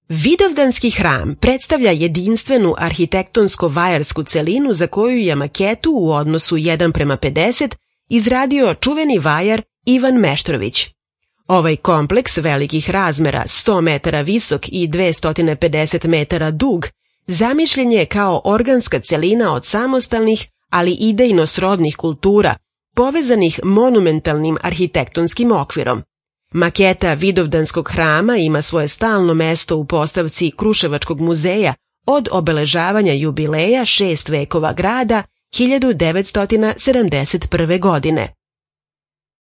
Vidovdanski hram predstavlja jedinstvenu arhitektonsko-vajarsku celinu za koju je maketu u odnosu 1:50 izradio čuveni vajar Ivan Meštrović. Ovaj kompleks velikih razmera, 100 metara visok i 250 metara dug, zamišljen je kao organska celina od samostalnih, ali idejno srodnih kultura, povezanih monumentalnim arhitektonskim okvirom. Maketa Vidovdanskog hrama ima svoje stalno mesto u postavci Kruševačkog muzeja od obeležavanja jubileja 6 vekova grada 1971. godine.